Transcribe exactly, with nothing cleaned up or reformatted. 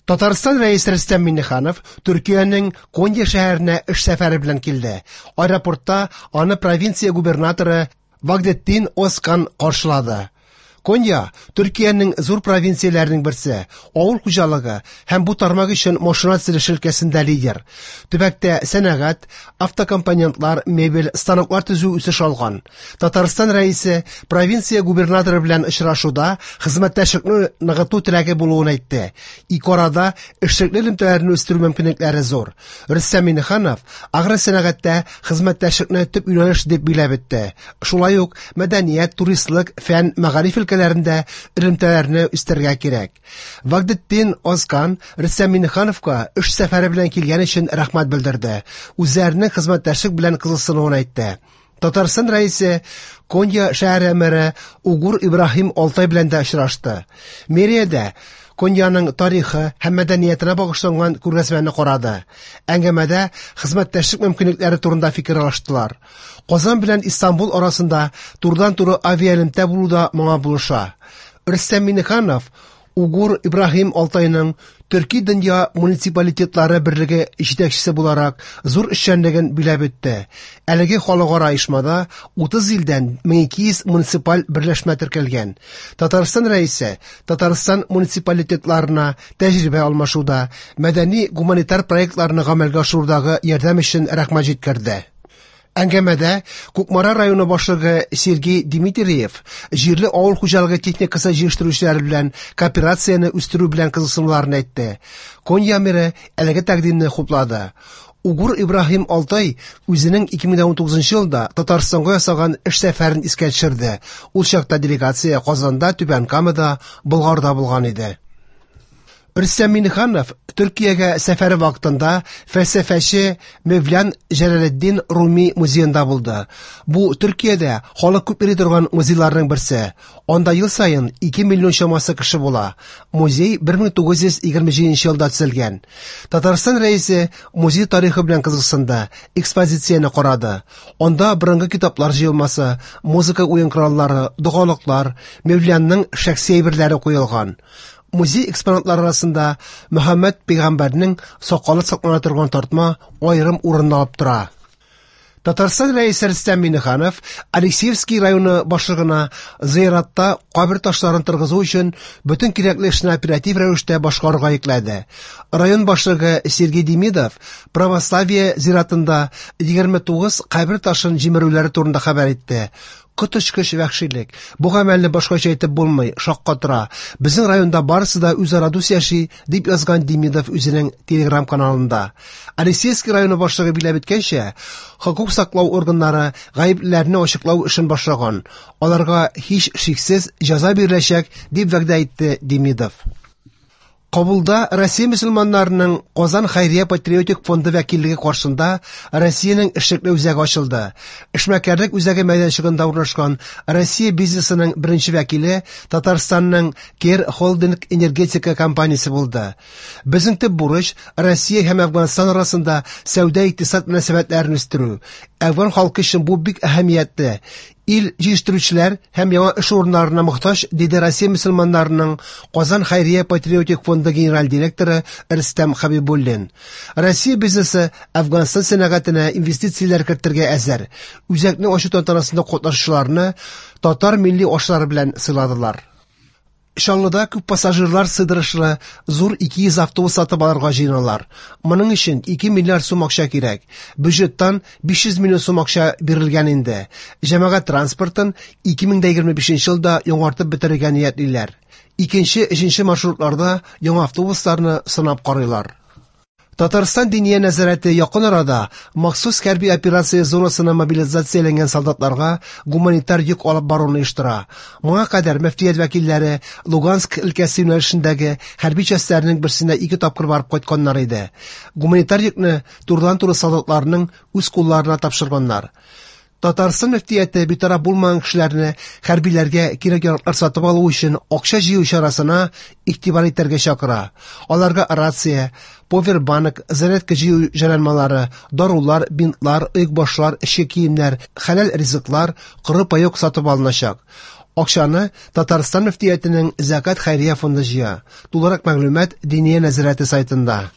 Татарстан Рәисе Рөстәм Миңнеханов Төркиянең Конья шәһәренә эш сәфәре белән килде. Аэропортта аны провинция губернаторы Вагдеттин Озкан каршылады. Конья Төркиянең зур провинцияләренең берсе, авыл хуҗалыгы һәм бу тармак өчен машина төзелеше өлкәсендә лидер. Төбәктә сәнәгать, автокомпонентлар, мебель, станоклар төзү үсеш алган. Татарстан Рәисе провинция губернаторы белән очрашуда хезмәттәшлекне ныгыту теләге булуын әйтте. Ике арада эшлекле элемтәләрне үстерү мөмкинлекләре зур. Рөстәм Миңнеханов агросәнәгатьтә хезмәттәшлекне төп юнәлеш дип билгеләп үтте. Шулай ук мәдәният, туристлык, фән, мәгариф өлкәләрендә элемтәләрне үстерергә кирәк. Вагдеттин Озкан Рөстәм Миңнехановка эш сәфәре белән килгән өчен рәхмәт белдерде. Үзләренең хезмәттәшлек белән кызыксынуын әйтте. Татарстан Рәисе Конья шәһәре мэры Угур Ибраһим Алтай белән дә очрашты. Мэриядә Коньяның тарихы һәм мәдәниятенә багышланган күргәзмәне карады. Әңгәмәдә хезмәттәшлек мөмкинлекләре турында фикер алыштылар. Казан белән Истанбул арасында турыдан-туры авиаэлемтә булу да моңа булыша. Рөстәм Миңнеханов Угур Ибраһим Алтайның Төрки дөнья муниципалитетлары берлеге җитәкчесе буларак зур эшчәнлеген биләп үтте. Әлеге халыкара оешмада утыз илдән мең ике йөз муниципаль берләшмә теркәлгән. Татарстан Рәисе Татарстан муниципалитетларына тәҗрибә алмашуда, мәдәни гуманитар проектларны гамәлгә ашырудагы ярдәм өчен рәхмәт җиткерде. Әңгәмәдә Кукмара районы башлыгы Сергей Дмитриев җирле авыл хуҗалыгы техникасы җитештерүчеләре белән кооперацияне үстерү белән кызыксынуларын әйтте. Конья мэры әлеге тәкъдимне хуплады. Угур Ибраһим Алтай үзенең ике мең унтугызынчы елда Татарстанга ясаган эш сәфәрен искә төшерде. Ул чакта делегация Казанда, Түбән Камада, Болгарда булган иде. Рөстәм Миңнеханов Төркиягә сәфәре вакытында фәлсәфәче Мевлян Җәләлетдин Руми музеенда булды. Бу Төркиядә халык күп йөри торган музейларның берсе. Анда ел саен ике миллион чамасы кеше була. Музей бер мең тугыз йөз егерме җиденче елда төзелгән. Татарстан Рәисе музей тарихы белән кызыксынды, экспозицияне карады. Анда борынгы китаплар җыелмасы, музыка уен кораллары, догалыклар, Мевлянның шәхси әйберләре куелган. Музей экспонатлары арасында Мөхәммәд пәйгамбәрнең сакалы саклана торган тартма аерым урын алып тора. Татарстан Рәисе Рөстәм Миңнеханов Алексеевский районы башлыгына зыяратта кабер ташларын торгызу өчен бөтен кирәкле эшне оператив рәвештә башкарырга йөкләде. Район башлыгы Сергей Демидов православие зиратында егерме тугыз кабер ташын җимерүләре турында хәбәр итте. Коточкыч вәхшилек. Бу гамәлне башкача әйтеп булмый, шаккатыра. Безнең районда барысы да үзара дус яши, дип язган Демидов үзенең Телеграм каналында. Алексеевский районы башлыгы билгеләп үткәнчә, хокук саклау органнары гаеплеләрне ачыклау эшен башлаган. Аларга һич шиксез җәза биреләчәк, дип вәгъдә итте Демидов. Кабулда Россия мөселманнарының Казан Хәйрия патриотик фонды вәкиллеге каршында Россиянең эшлекле үзәге ачылды. Эшмәкәрлек үзәге мәйданчыгында урнашкан Россия бизнесының беренче вәкиле Татарстанның Кер Холдинг энергетика компаниясе булды. Безнең төп бурыч Россия һәм Әфганстан арасында сәүдә-икътисад мөнәсәбәтләрен үстерү. Әфган халкы өчен бу бик әһәмиятле. Ил җитештерүчеләр һәм яңа эш урыннарына мохтаҗ, диде Россия мөселманнарының Казан Хәйрия патриотик фонды генераль директоры Рөстәм Хәбибуллин. Россия бизнесы Әфганстан сәнәгатенә инвестицияләр кертергә әзер. Үзәкне ачу тантанасында катнашучыларны татар милли ашлары белән сыйладылар. Чаллыда күп пассажирлар сыйдырышлы зур ике йөз автобус сатып алырга җыеналар. Моның өчен ике миллиард сум акча кирәк. Бюджеттан биш йөз миллион сум акча бирелгән инде. Җәмәгать транспортын ике мең дә егерме бишенче елда яңартып бетерергә ниятлиләр. Икенче, өченче маршрутларда яңа автобусларны сынап карыйлар. Татарстан Диния нәзарәте якын арада махсус хәрби операция зонасына мобилизацияләнгән солдатларга гуманитар йөк алып баруны оештыра. Моңа кадәр мөфтият вәкилләре Луганск өлкәсе юнәлешендәге хәрби частьләрнең берсенә ике тапкыр барып кайтканнар иде. Гуманитар йөкне турыдан-туры солдатларның үз кулларына тапшырганнар. Татарстан мөфтияте битараф булмаган кешеләрне хәрбиләргә кирәк-яраклар сатып алу өчен акча җыю чарасына игътибар итәргә чакыра. Аларга рация, повербанк, зарядка җыю җайланмалары, дарулар, бинтлар, оекбашлар, эчке киемнәр, хәләл ризыклар, коры паёк сатып алыначак. Акчаны Татарстан мөфтиятенең Зәкят хәйрия фонды җыя. Тулырак мәгълүмат Диния нәзарәте сайтында.